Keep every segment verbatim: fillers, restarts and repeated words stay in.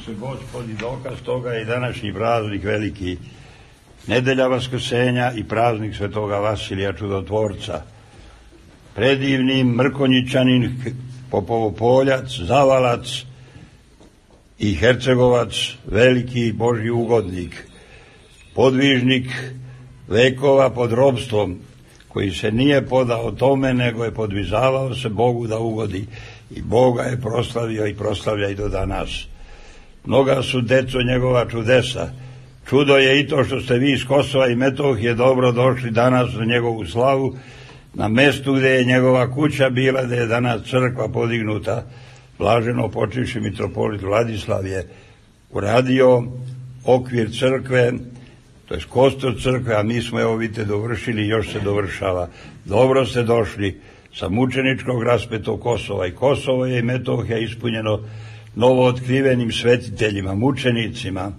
Isuse Gospodi, dokaz toga je i današnji praznik veliki, nedelja Vaskrsenja i praznik svetoga Vasilija Čudotvorca. Predivni Mrkonjićanin, Popovopoljac, Zavalac i Hercegovac, veliki Božji ugodnik, podvižnik vekova pod robstvom, koji se nije podao tome, nego je podvizavao se Bogu da ugodi. I Boga je proslavio i proslavlja i do danas. Mnoga su, deco, njegova čudesa. Čudo je i to što ste vi iz Kosova i Metohije dobro došli danas na njegovu slavu, na mestu gde je njegova kuća bila, gde je danas crkva podignuta. Blaženo počivši mitropolit Vladislav je uradio okvir crkve, to je kostur crkve, a mi smo, evo vidite, dovršili i još se dovršava. Dobro ste došli sa mučeničkog raspetog Kosova, i Kosovo je i Metohija ispunjeno novootkrivenim svetiteljima, mučenicima,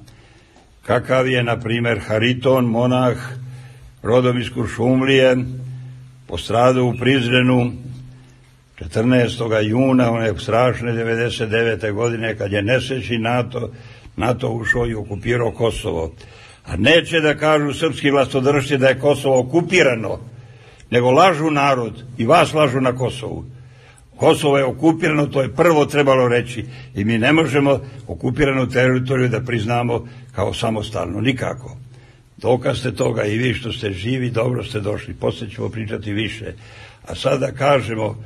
kakav je, na primer, Hariton, monah, rodom iz Kuršumlije, postradao u Prizrenu četrnaestog juna one strašne devedeset devete godine, kad je nesrećni NATO, NATO ušao i okupirao Kosovo. A neće da kažu srpski vlastodržci da je Kosovo okupirano, nego lažu narod i vas lažu na Kosovu. Kosovo je okupirano, to je prvo trebalo reći, i mi ne možemo okupiranu teritoriju da priznamo kao samostalno, nikako. Dokaz ste toga i vi što ste živi, dobro ste došli, poslije ćemo pričati više. A sada kažemo,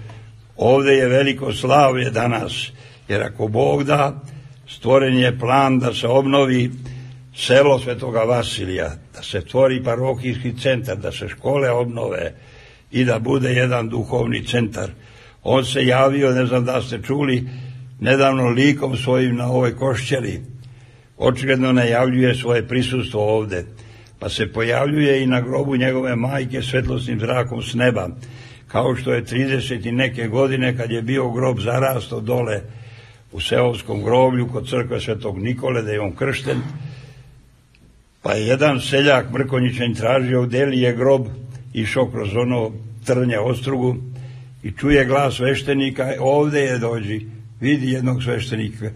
ovde je veliko slavlje danas, jer ako Bog da, stvoren je plan da se obnovi selo Svetoga Vasilija, da se stvori parohijski centar, da se škole obnove i da bude jedan duhovni centar. On se javio, ne znam da ste čuli, nedavno likom svojim na ovoj Košćeli. Očigledno najavljuje svoje prisustvo ovde, pa se pojavljuje i na grobu njegove majke svetlosnim zrakom s neba, kao što je trideset i neke godine, kad je bio grob zarasto dole u seoskom groblju kod crkve Svetog Nikole, da je on kršten, pa je jedan seljak Mrkonjićan tražio gde li je grob, išao kroz ono trnje ostrugu i čuje glas sveštenika, ovde je, dođi, vidi jednog sveštenika.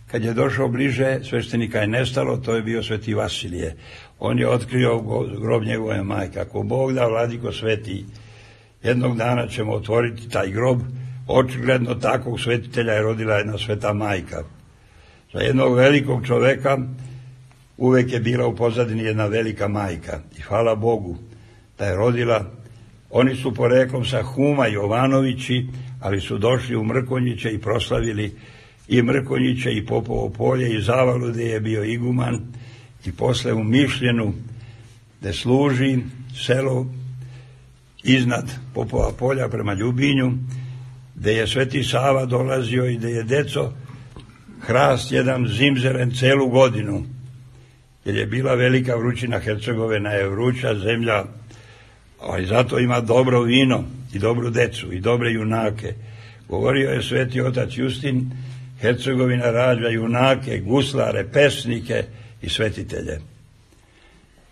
Kad je došao bliže, sveštenika je nestalo, to je bio Sveti Vasilije. On je otkrio grob njegove majke. Ako Bog da, Vladiko Sveti, jednog dana ćemo otvoriti taj grob. Očigledno takvog svetitelja je rodila jedna Sveta majka. Za jednog velikog čoveka uvek je bila u pozadini jedna velika majka. I hvala Bogu da je rodila. Oni su poreklom sa Huma Jovanovići, ali su došli u Mrkonjiće i proslavili i Mrkonjiće i Popovo polje i Zavalu, gde je bio iguman, i posle u Mišljenu, gde služi selo iznad Popova polja prema Ljubinju, gde je Sveti Sava dolazio i gde je, deco, hrast jedan zimzelen celu godinu, jer je bila velika vrućina. Hercegovina je vruća zemlja, ali zato ima dobro vino i dobru decu i dobre junake. Govorio je Sveti otac Justin, Hercegovina rađa junake, guslare, pesnike i svetitelje.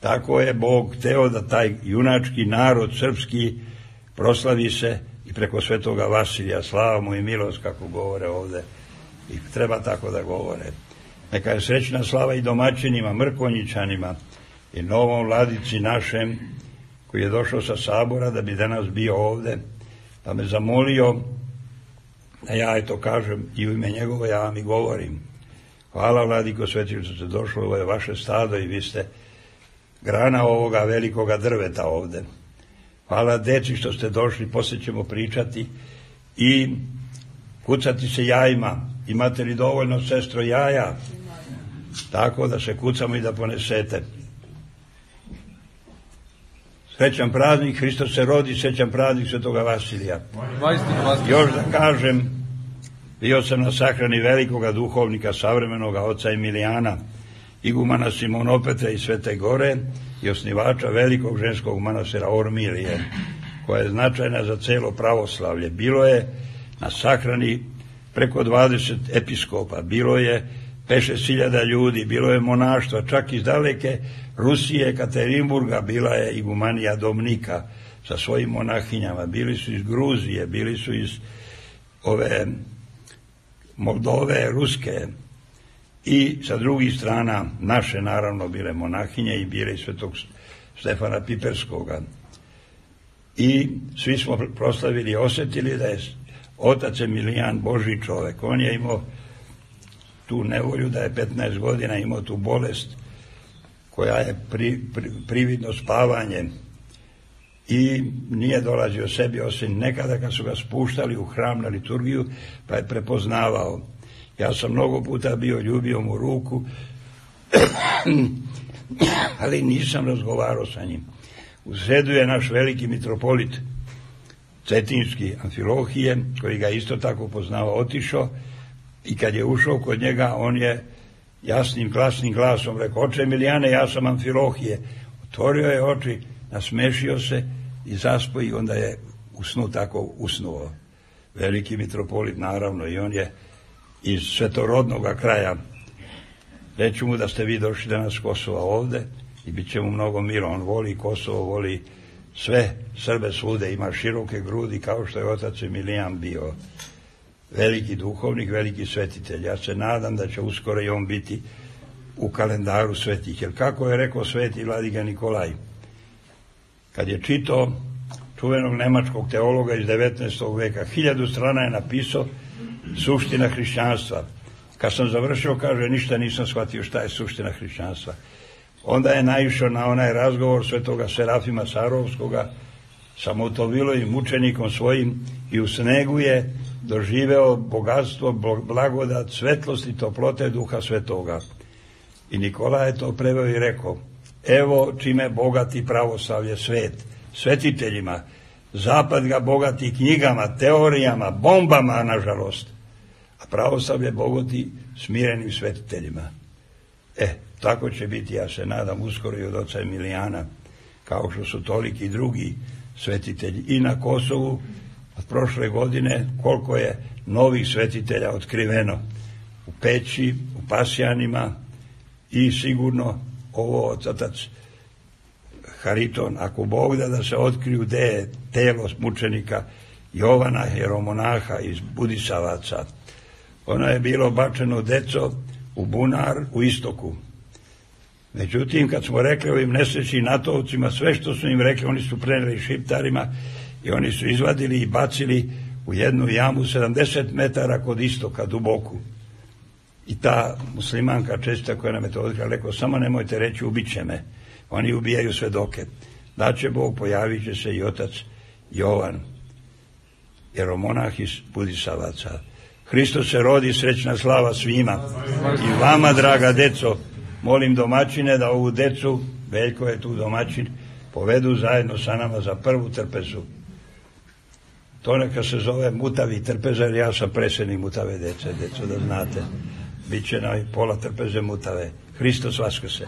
Tako je Bog hteo da taj junački narod srpski proslavi se i preko Svetoga Vasilija, slava mu i milost, kako govore ovde, i treba tako da govore. Neka je srećna slava i domaćinima, Mrkonjićanima i novom vladici našem, koji je došao sa sabora da bi danas bio ovde, pa me zamolio da ja eto kažem i u ime njegovo ja vam i govorim. Hvala, Vladiko Sveti, što ste došli, ovo je vaše stado i vi ste grana ovoga velikoga drveta ovde. Hvala, deci, što ste došli, poslije ćemo pričati i kucati se jajima. Imate li dovoljno, sestro, jaja? Tako da se kucamo i da ponesete. Srećan praznik, Hristos se rodi, srećan praznik Svetoga Vasilija. Još da kažem, bio sam na sahrani velikoga duhovnika, savremenoga oca Emilijana, igumana Simonopetra iz Svete Gore i osnivača velikog ženskog manastira Ormilije, koja je značajna za celo pravoslavlje. Bilo je na sahrani preko dvadeset episkopa, bilo je pet šest hiljada ljudi, bilo je monaštva, čak iz daleke Rusije, Katerinburga, bila je igumanija Domnika sa svojim monahinjama, bili su iz Gruzije, bili su iz ove Moldove, Ruske, i sa drugih strana naše naravno bile monahinje i bile i svetog Stefana Piperskoga. I svi smo proslavili i osjetili da je otac Emilijan Božji čovek. On je imao tu nevolju da je petnaest godina imao tu bolest koja je pri, pri, prividno spavanje i nije dolazio sebi osim nekada kad su ga spuštali u hram na liturgiju pa je prepoznavao. Ja sam mnogo puta bio ljubio mu ruku ali nisam razgovarao sa njim. U sredu je naš veliki mitropolit Cetinski Amfilohije, koji ga isto tako poznao, otišao i kad je ušao kod njega, on je jasnim, glasnim glasom rekao: oče Emilijane, ja sam Amfilohije. Otvorio je oči, nasmešio se i zaspo i onda je usnuo tako usnuo. Veliki mitropolit, naravno, i on je iz svetorodnog kraja. Reću mu da ste vi došli danas s Kosova ovde i bit će mu mnogo mira. On voli Kosovo, voli sve Srbe svude, ima široke grudi kao što je otac Emilijan bio veliki duhovnik, veliki svetitelj. Ja se nadam da će uskoro i on biti u kalendaru svetih. Jer kako je rekao sveti vladika Nikolaj, kad je čitao čuvenog nemačkog teologa iz devetnaestog veka, hiljadu strana je napisao suština hrišćanstva. Kad sam završio, kaže, ništa nisam shvatio šta je suština hrišćanstva. Onda je naišao na onaj razgovor svetoga Serafima Sarovskoga sa Motovilovim mučenikom svojim i u snegu je doživeo bogatstvo, blagodat, svetlost i toplote Duha Svetoga. I Nikola je to preveo i rekao: evo čime bogati pravoslavlje svet, svetiteljima, zapad ga bogati knjigama, teorijama, bombama, nažalost, a pravoslavlje bogati smirenim svetiteljima. E, tako će biti, ja se nadam, uskoro i od oca Emilijana, kao što su toliki drugi svetitelji. I na Kosovu od prošle godine koliko je novih svetitelja otkriveno u Peći, u Pasjanima i sigurno ovo otac Hariton, ako Bog da da se otkriju gde je telo mučenika Jovana, jeromonaha iz Budisavaca. Ono je bilo bačeno deco u bunar u istoku. Međutim, kad smo rekli ovim nesrećnim natovcima sve što su im rekli, oni su preneli Šiptarima i oni su izvadili i bacili u jednu jamu sedamdeset metara kod istoka, duboku. I ta muslimanka česta koja nam je to otkrila, rekao: samo nemojte reći ubit će me. Oni ubijaju svedoke. Da će Bog, pojavit će se i otac Jovan, jeromonah iz Budisavaca. Hristos se rodi, srećna slava svima. I vama, draga deco, molim domaćine da ovu decu, Veljko je tu domaćin, povedu zajedno sa nama za prvu trpezu. To neka se zove Mutavi trpeza, jer ja sam predsjednik Mutave dece, deco, da znate. Biće na pola trpeze Mutave. Hristos vaskrse.